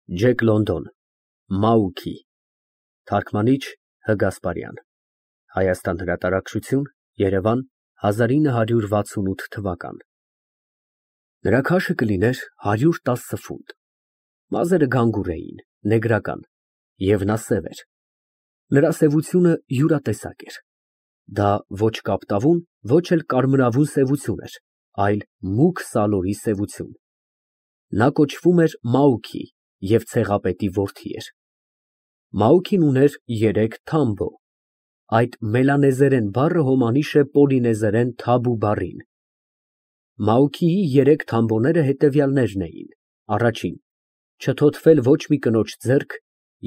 Ջեք Լոնդոն, Մաուքի, թարգմանիչ Հ. Գասպարյան, Հայաստան հրատարակչություն, Երևան 1968 Նրա քաշը կլիներ 110 ֆունտ, մազերը գանգուր էին, նեգրական, և նա սև էր, նրա սևությունը յուրատեսակ էր, դա ոչ կապտավուն, ոչ էլ կարմրավուն սևություն էր, այլ մուգ սալորի սևություն, նա կոչվում էր Մաուքի և ցեղապետի որդի էր, Մաուքին ուներ 3 թամբո, այդ մելանեզերեն բառը հոմանիշ է պոլինեզերեն թաբու բառին, Մաուքիի 3 թամբոները հետևյալներն էին. առաջին, չթոթվել ոչ մի կնոջ ձեռք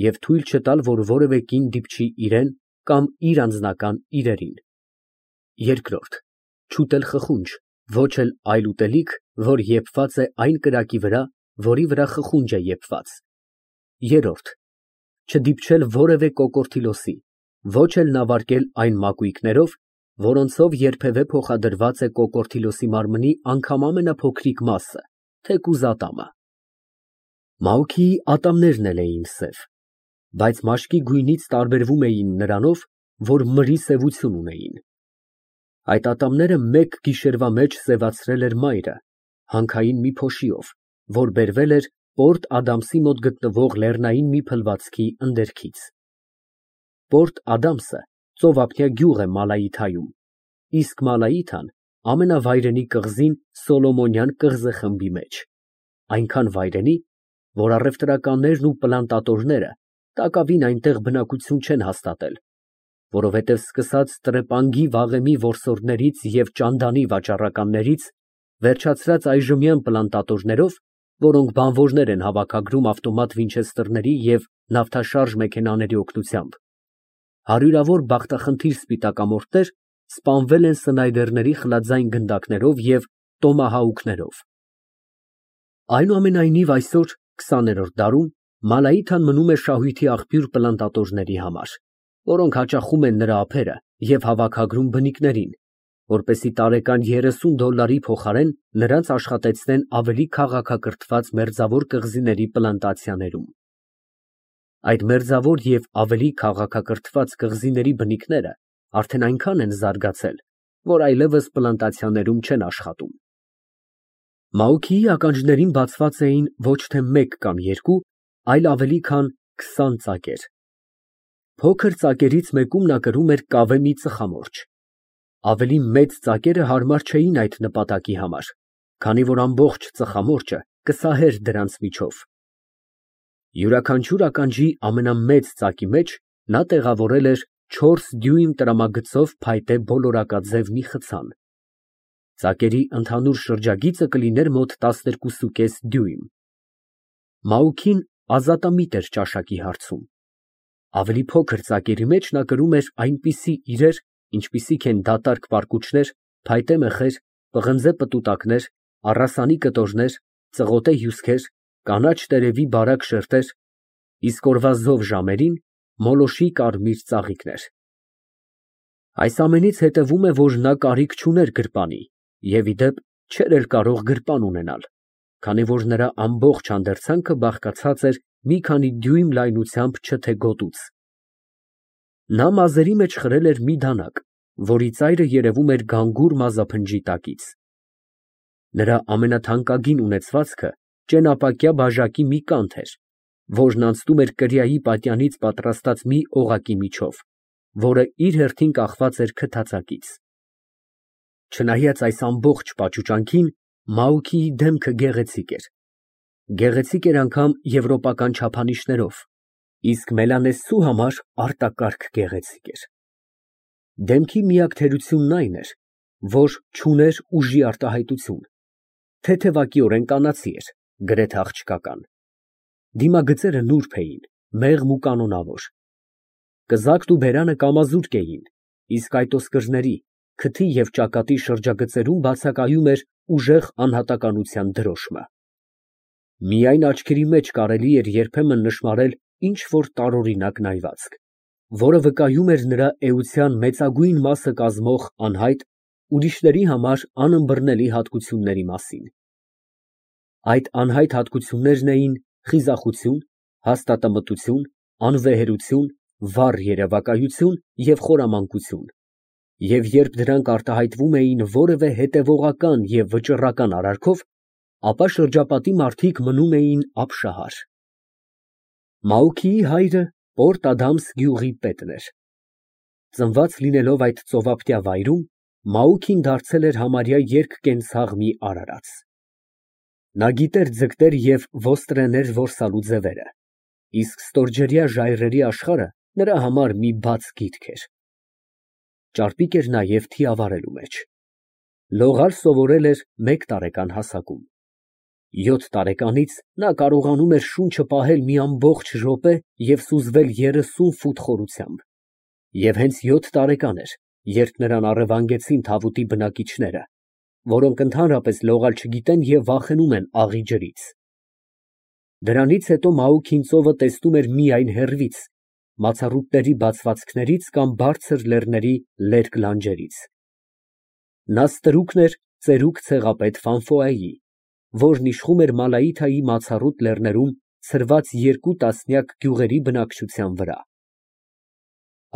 և թույլ չտալ, որ որևէ կին դիպչի իրան կամ իր անձնական իրերին, երկրորդ, չուտել խխունջ, ոչ էլ այլ ուտելիք, որ եփված է այն կրակի վրա, որի վրա խխունջ է եփված, երրորդ, չդիպչել որևէ կոկորդիլոսի, ոչ էլ նավարկել այն մակույկներով, որոնցով երբևէ փոխադրված է կոկորդիլոսի մարմնի անգամ ամենափոքրիկ մասը, թեկուզ ատամը, Մաուքիի ատամներն էլ էին սև, բայց մաշկի գույնից տարբերվում էին նրանով, որ մրի սևություն ունեին, այդ ատամները մեկ գիշերվա մեջ սևացրել էր մայրը, հանքային մի փոշիով, որ բերվել էր Պորտ Ադամսի մոտ գտնվող լեռնային մի փլվածքի ընդերքից, Պորտ Ադամսը ծովափնյա գյուղ է Մալայիթայում, իսկ Մալայիթան ամենավայրենի կղզին Սոլոմոնյան կղզեխմբի մեջ, այնքան վայրենի, որ առևտրականներն ու պլանտատորները տակավին այնտեղ բնակություն չեն հաստատել, որովհետև սկսած տրեպանգի վաղեմի որսորդներից և ճանդանի վաճառականներից, վերջացրած այժմյան պլանտատորներով, որոնք բանվորներ են հավաքագրում ավտոմատ վինչեսթերների և նավթաշարժ մեքենաների օգնությամբ, հարյուրավոր բախտախնդիր սպիտակամորթներ սպանվել են սնայդերների խլadzային գնդակներով և տոմահաուքներով։ Այնուամենայնիվ այսօր 20-րդ դարում Մալայիթան մնում է շահույթի աղբյուր պլանտատորների համար, որոնք հաճախում են նրա ափերը և հավաքագրում բնիկներին, որպեսզի տարեկան $30 փոխարեն նրանց աշխատեցնեն ավելի քաղաքակրթված մերձավոր կղզիների պլանտացիաներում։ Այդ մերձավոր և ավելի քաղաքակրթված կղզիների բնիկները արդեն այնքան են զարգացել, որ այլևս պլանտացիաներում չեն աշխատում։ Մաուքիի ականջներին բացված էին ոչ թե 1 կամ 2, այլ ավելի քան 20 ծակեր։ Փոքր ծակերից մեկում նա կրում էր կավե մի ծխամորճ։ Ավելի մեծ ծակերը հարմար չէին այդ նպատակի համար, քանի որ ամբողջ ծխամորճը կսահեր դրանց միջով։ Յուրաքանչյուր ականջի ամենամեծ ծակի մեջ նա տեղավորել էր 4 դյույմ տրամագծով փայտե բոլորակաձև մի խցան։ Ծակերի ընդհանուր շրջագիծը կլիներ մոտ 12,5 դյույմ։ Մաուքին ազատամիտ էր ճաշակի հարցում։ Ավելի փոքր ծակերի մեջ նա կրում էր այնպիսի իրեր, ինչպիսիք են դատարկ պարկուճներ, փայտե մեխեր, պղնձե պտուտակներ, առասանի կտորներ, ծղոտե հյուսքեր, կանաչ տերևի բարակ շերտեր, իսկ օրվա զով ժամերին մոլոշի կարմիր ծաղիկներ։ Այս ամենից հետևում է, որ նա կարիք չուներ գրպանի և, ի դեպ, չէր էլ կարող գրպան ունենալ, քանի որ նրա ամբողջ հանդերձանքը բաղկացած էր մի քանի դյույմ լայնությամբ չթե գոտուց։ Նա մազերի մեջ խրել էր մի դանակ, որի ծայրը երևում էր գանգուր մազափնջի տակից։ Նրա ամենաթանկագին ունեցվածքը ճենապակյա բաժակի մի կանթ էր, որն անցնում էր կրիայի պատյանից պատրաստած մի օղակի միջով, որը իր հերթին կախված էր քթածակից։ Չնայած այս ամբողջ պաճուճանքին, Մաուքիի դեմքը գեղեցիկ էր։ Գեղեցիկ էր անգամ եվրոպական չափանիշներով, իսկ մելանեզցու համար արտակարգ գեղեցիկ էր։ Դեմքի միակ թերությունն այն էր, որ չուներ ուժի արտահայտություն, թեթևակիորեն կանացի էր, գրեթե աղջկական։ Դիմագծերը նուրբ էին, մեղմ ու կանոնավոր։ Կզակն ու բերանը կամազուրկ էին, իսկ այդ ոսկրների, քթի և ճակատի շրջագծերում բացակայում էր ուժեղ անհատականության դրոշմը։ Միայն աչքերի մեջ կարելի էր երբեմն նշմարել ինչ֊որ տարօրինակ նայվածք, որը վկայում էր նրա էության մեծագույն մասը կազմող անհայտ, ուրիշների համար անըմբռնելի հատկությունների մասին։ Այդ անհայտ հատկություններն էին խիզախություն, հաստատամտություն, անվեհերություն, վառ երևակայություն և խորամանկություն, և երբ դրանք արտահայտվում էին որևէ հետևողական և վճռական արարքով, ապա շրջապատի մարդիկ մնում էին ապշահար։ Մաուքիի հայրը Պորտ Ադամս գյուղի պետն էր։ Ծնված լինելով այդ ծովափնյա վայրում, Մաուքին դարձել էր համարյա երկկենցաղ մի արարած։ Նա գիտեր ձգտեր և ոստրեներ որսալու ձևերը, իսկ ստորջրյա ժայռերի աշխարհը նրա համար մի բաց գիտք էր։ Ճարպիկ էր նաև թիավարելու մեջ։ Լողալ սովորել էր 1 տարեկան հասակում։ 7 տարեկանից նա կարողանում էր շունչը պահել մի ամբողջ րոպե և սուզվել 30 ֆուտ խորությամբ, և հենց 7 տարեկան էր, երբ նրան առևանգեցին թավուտի բնակիչները, որոնք ընդհանրապես լողալ չգիտեն և վախենում են աղի ջրից։ Դրանից հետո Մաուքին ծովը տեսնում էր միայն հեռվից, մացառուտների բացվածքներից կամ բարձր լեռների լերկ լանջերից։ Նա ստրուկն էր ծերուկ ցեղապետ Ֆանֆոայի, որն իշխում էր Մալայիթայի մացառուտ լեռներում ցրված 2 տասնյակ գյուղերի բնակչության վրա։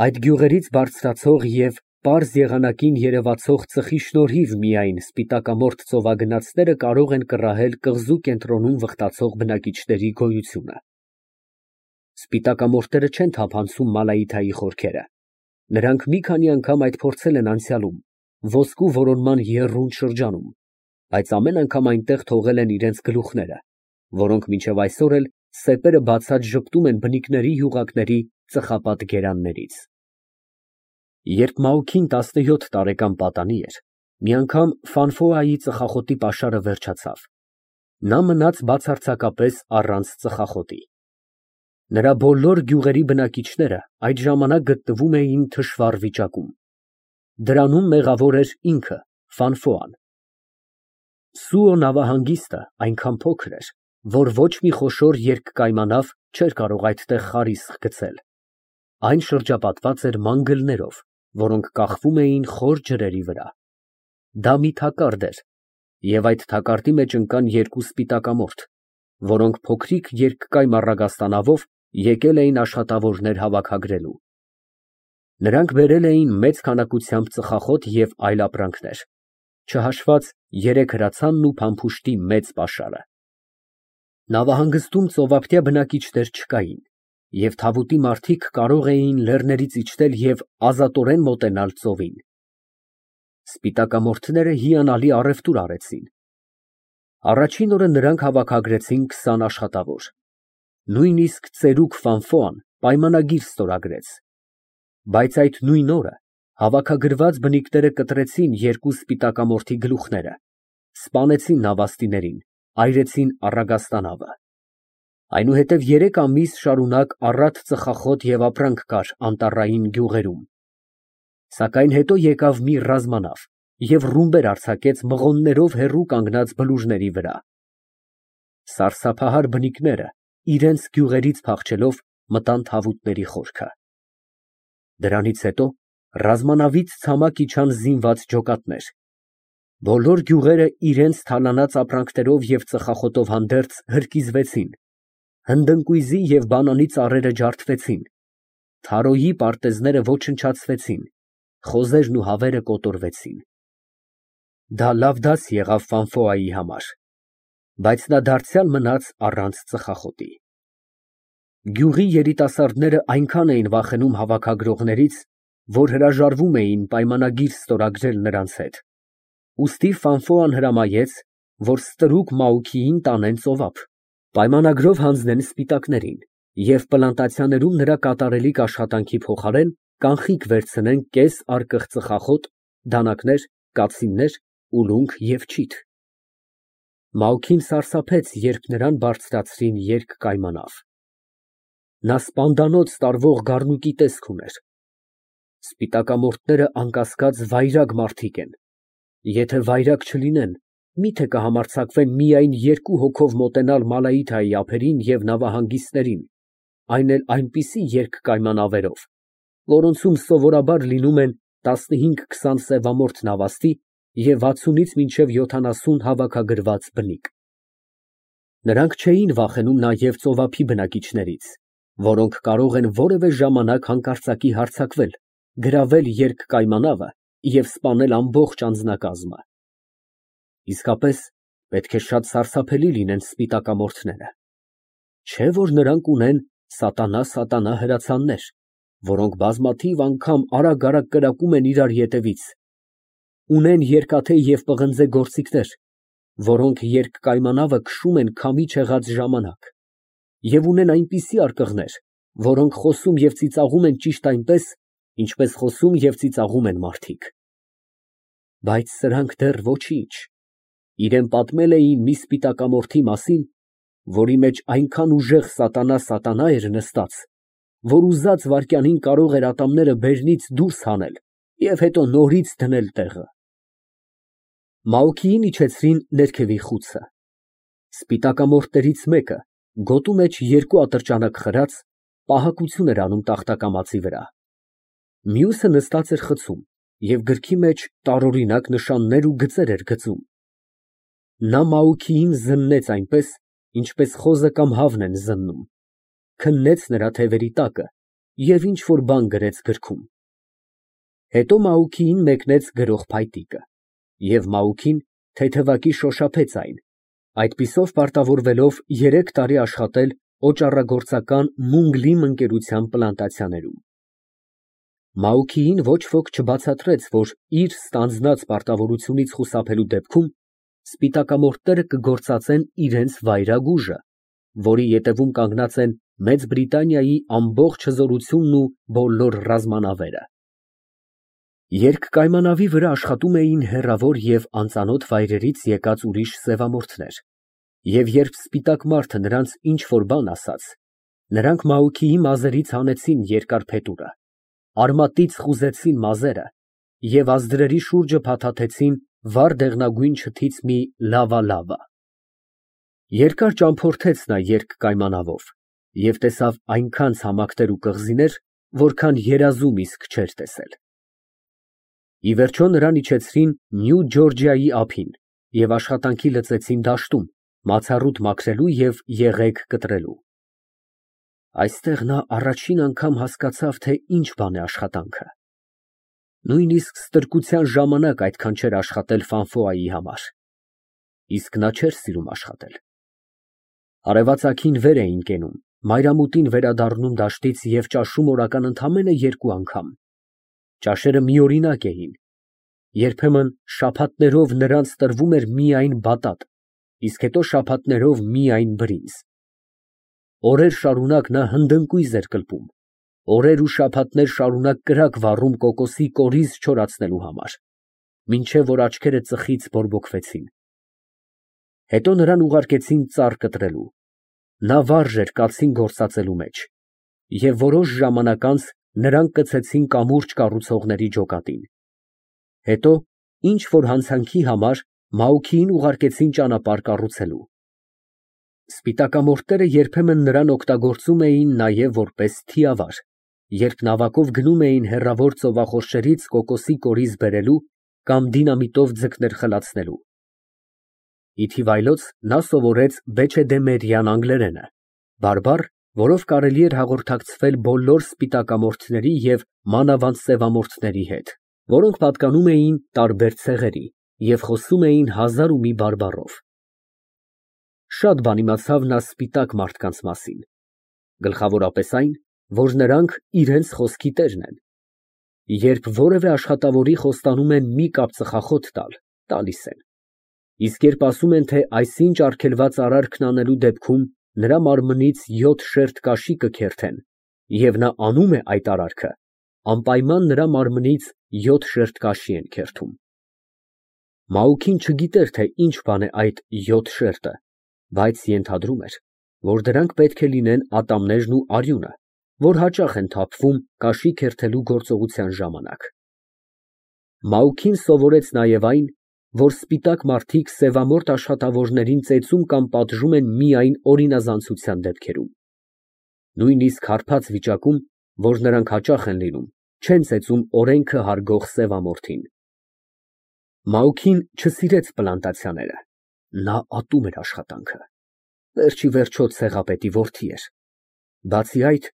Այդ գյուղերից բարձրացող և պարզ եղանակին երևացող ծխի շնորհիվ միայն սպիտակամորթ ծովագնացները կարող են կռահել կղզու կենտրոնում վխտացող բնակիչների գոյությունը։ Սպիտակամորթները չեն թափանցում Մալայիթայի խորքերը։ Նրանք մի քանի անգամ այդ փորձել են անցյալում, ոսկու որոնման եռուն շրջանում, բայց ամեն անգամ այնտեղ թողել են իրենց գլուխները, որոնք մինչև այսօր էլ սեպերը բացած ժպտում են բնիկների յուղակների ծխապատ գերաններից։ Երբ Մաուքին 17 տարեկան պատանի էր, մի անգամ Ֆանֆոայի ծխախոտի պաշարը վերջացավ։ Նա մնաց բացարձակապես առանց ծխախոտի։ Նրա բոլոր գյուղերի բնակիչները այդ ժամանակ գտնվում էին թշվառ վիճակում։ Դրանում մեղավոր էր ինքը Ֆանֆոան։ Սուո նավահանգիստը այնքան փոքր էր, որ ոչ մի խոշոր երկկայմանավ չէր կարող այդտեղ խարիսկ գցել։ Այն շրջապատված էր մանգլներով, որոնք կախվում էին խոր ջրերի վրա։ Դա մի թակարդ էր, և այդ թակարդի մեջ ընկան 2 սպիտակամորթ, որոնք փոքրիկ երկկայմ առագաստանավով եկել էին աշխատավորներ հավաքագրելու։ Նրանք բերել էին մեծ քանակությամբ ծխախոտ և այլ ապրանքներ, չհաշված 3 հրացանն ու փամփուշտի մեծ պաշարը։ Նավահանգստում ծովափնյա բնակիչներ չկային, և թավուտի մարդիկ կարող էին լեռներից իջնել և ազատորեն մոտենալ ծովին։ Սպիտակամորթները հիանալի առևտուր արեցին։ Առաջին օրը նրանք հավաքագրեցին 20 աշխատավոր։ Նույնիսկ ծերուկ Ֆանֆոան պայմանագիր ստորագրեց։ Բայց այդ նույն օրը հավաքագրված բնիկները կտրեցին 2 սպիտակամորթի գլուխները, սպանեցին նավաստիներին, այրեցին առագաստանավը։ Այնուհետև 3 ամիս շարունակ առատ ծխախոտ և ապրանք կար անտառային գյուղերում։ Սակայն հետո եկավ մի ռազմանավ և ռումբեր արձակեց մղոններով հեռու կանգնած բլուրների վրա։ Սարսափահար բնիկները իրենց գյուղերից փախչելով մտան թավուտների խորքը։ Դրանից հետո ռազմանավից ցամաք իջան զինված ջոկատներ։ Բոլոր գյուղերը իրենց թալանած ապրանքներով և ծխախոտով հանդերձ հրկիզվեցին, հնդընկույզի և բանանի ծառերը ջարդվեցին, թարոյի պարտեզները ոչնչացվեցին, խոզերն ու հավերը կոտորվեցին։ Դա լավ դաս եղավ Ֆանֆոայի համար, բայց նա դարձյալ մնաց առանց ծխախոտի։ Գյուղի երիտասարդները այնքան էին վախենում հավաքագրողներից, որ հրաժարվում էին պայմանագիր ստորագրել նրանց հետ։ Ուստի Ֆանֆոան հրամայեց, որ ստրուկ Մաուքիին տանեն ծովափ, պայմանագրով հանձնեն սպիտակներին և պլանտացիաներում նրա կատարելիք աշխատանքի փոխարեն կանխիկ վերցնեն կես արկղ ծխախոտ, դանակներ, կացիններ, ուլունք և չիթ։ Մաուքին սարսափեց, երբ նրան բարձրացրին երկկայմանավ։ Նա սպանդանոց տարվող գառնուկի տեսք ուներ։ Սպիտակամորթները անկասկած վայրագ մարդիկ են։ Եթե վայրագ չլինեն, մի՞թե կհամարձակվեն միայն 2 հոգով մոտենալ Մալայիթայի ափերին և նավահանգիստներին, այն էլ այնպիսի երկկայմանավերով, որոնցում սովորաբար լինում են 15-20 սևամորթ նավաստի և 60-ից մինչև 70 հավաքագրված բնիկ։ Նրանք չէին վախենում նաև ծովափի բնակիչներից, որոնք կարող են որևէ ժամանակ հանկարծակի հարձակվել, գրավել երկկայմանավը և սպանել ամբողջ անձնակազմը։ Իսկապես, պետք է շատ սարսափելի լինեն սպիտակամորթները։ Չէ՞ որ նրանք ունեն սատանա հրացաններ, որոնք բազմաթիվ անգամ արագ կրակում են իրար ետևից, ունեն երկաթե և պղնձե գործիքներ, որոնք երկկայմանավը քշում են քամի չեղած ժամանակ, և ունեն այնպիսի արկղներ, որոնք խոսում և ծիծաղում են ճիշտ այնպես, ինչպես խոսում և ծիծաղում են մարդիկ։ Բայց սրանք դեռ ոչինչ, իրեն պատմել էին մի սպիտակամորթի մասին, որի մեջ այնքան ուժեղ սատանա էր նստած, որ ուզած վայրկյանին կարող էր ատամները բերնից դուրս հանել և հետո նորից դնել տեղը։ Մաուքիին իջեցրին ներքևի խուցը։ Սպիտակամորթներից մեկը, գոտու մեջ երկու ատրճանակ խրած, պահակություն էր անում տախտակամածի վրա։ Մյուսը նստած էր խցում և գրքի մեջ տարօրինակ նշաններ ու գծեր էր գծում։ Նա Մաուքիին զննեց այնպես, ինչպես խոզը կամ հավն են զննում, քննեց նրա թևերի տակը և ինչ֊որ բան գրեց գրքում։ Հետո Մաուքիին մեկնեց գրող փայտիկը, և Մաուքին թեթևակի շոշափեց այն, այդպիսով պարտավորվելով 3 տարի աշխատել օճառագործական Մունգ Լիմ ընկերության պլանտացիաներում։ Մաուքիին ոչ ոք չբացատրեց, որ իր ստանձնած պարտավորությունից խուսափելու դեպքում սպիտակամորթները կգործածեն իրենց վայրագ ուժը, որի ետևում կանգնած են Մեծ Բրիտանիայի ամբողջ հզորությունն ու բոլոր ռազմանավերը։ Երկկայմանավի վրա աշխատում էին հեռավոր և անծանոթ վայրերից եկած ուրիշ սևամորթներ, և երբ սպիտակ մարդը նրանց ինչ֊որ բան ասաց, նրանք Մաուքիի մազերից հանեցին երկար փետուրը, արմատից խուզեցին մազերը և ազդրերի շուրջը փաթաթեցին վառ դեղնագույն չթից մի լավա։ Երկար ճամփորդեց նա երկկայմանավով և տեսավ այնքան ցամաքներ ու կղզիներ, որքան երազում իսկ չէր տեսել։ Ի վերջո նրան իջեցրին Նյու Ջորջիայի ափին և աշխատանքի լծեցին դաշտում, մացառուտ մաքրելու և եղեգ կտրելու։ Այստեղ նա առաջին անգամ հասկացավ, թե ինչ բան է աշխատանքը։ Նույնիսկ ստրկության ժամանակ այդքան չէր աշխատել Ֆանֆոայի համար։ Իսկ նա չէր սիրում աշխատել։ Արևածագին վեր էին կենում, մայրամուտին վերադառնում դաշտից և ճաշում օրական ընդամենը 2 անգամ։ Ճաշերը միօրինակ էին։ Երբեմն շաբաթներով նրանց տրվում էր միայն բատատ, իսկ հետո շաբաթներով միայն բրինձ։ Օրեր շարունակ նա հնդընկույզ էր կլպում, օրեր ու շաբաթներ շարունակ կրակ վառում կոկոսի կորիզ չորացնելու համար, մինչև որ աչքերը ծխից բորբոքվեցին։ Հետո նրան ուղարկեցին ծառ կտրելու։ Նա վարժ էր կացին գործածելու մեջ, և որոշ ժամանակ անց նրան կցեցին կամուրջ կառուցողների ջոկատին։ Հետո ինչ֊որ հանցանքի համար Մաուքիին ուղարկեցին ճանապարհ կառուցելու։ Սպիտակամորթները երբեմն նրան օգտագործում էին նաև որպես թիավար, երբ նավակով գնում էին հեռավոր ծովախորշերից կոկոսի կորիզ բերելու կամ դինամիտով ձկներ խլացնելու։ Ի թիվայլոց նա սովորեց բեչեդեմերյան անգլերենը, բարբառ, որով կարելի էր հաղորդակցվել բոլոր սպիտակամորթների և մանավանդ սևամորթների հետ, որոնք պատկանում էին տարբեր ցեղերի և խոսում էին 1000 ու մի բարբառով։ Շատ բան իմացավ նա սպիտակ մարդկանց մասին, գլխավորապես այն, որ նրանք իրենց խոսքի տերն են։ Երբ որևէ աշխատավորի խոստանում են մի կապ ծխախոտ տալ, տալիս են, իսկ երբ ասում են, թե այսինչ արգելված արարքն անելու դեպքում նրա մարմնից 7 շերտ կաշի կքերթեն, և նա անում է այդ արարքը, անպայման նրա մարմնից 7 շերտ կաշի են քերթում։ Մաուքին չգիտեր, թե ինչ բան է այդ 7 շերտը, բայց ենթադրում էր, որ դրանք պետք է լինեն ատամներն ու արյունը, որ հաճախ են թափվում կաշի քերթելու գործողության ժամանակ։ Մաուքին սովորեց նաև այն, որ սպիտակ մարդիկ սևամորթ աշխատավորներին ծեծում կամ պատժում են միայն օրինազանցության դեպքերում։ Նույնիսկ հարբած վիճակում, որ նրանք հաճախ են լինում, չեն ծեծում օրենքը հարգող սևամորթին։ Մաուքին չսիրեց պլանտացիաները, նա ատում էր աշխատանքը։ Վերջի վերջո ցեղապետի որդի էր։ Բացի այդ,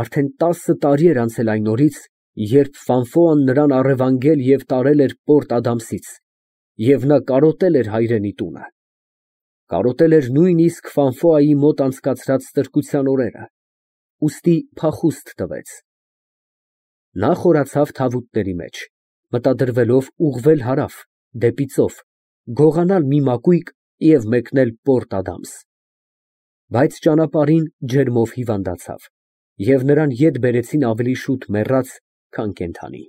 արդեն 10 տարի էր անցել այն օրից, երբ Ֆանֆոան նրան առևանգել և տարել էր Պորտ Ադամսից, և նա կարոտել էր հայրենի տունը, կարոտել էր նույնիսկ Ֆանֆոայի մոտ անցկացրած ստրկության օրերը, ուստի փախուստ տվեց։ Նա խորացավ թավուտների մեջ, մտադրվելով ուղղվել հարավ, դեպի ծով, գողանալ մի մակույկ և մեկնել Պորտ Ադամս։ Բայց ճանապարհին ջերմով հիվանդացավ, և նրան ետ բերեցին ավելի շուտ մեռած, քան կենդանի։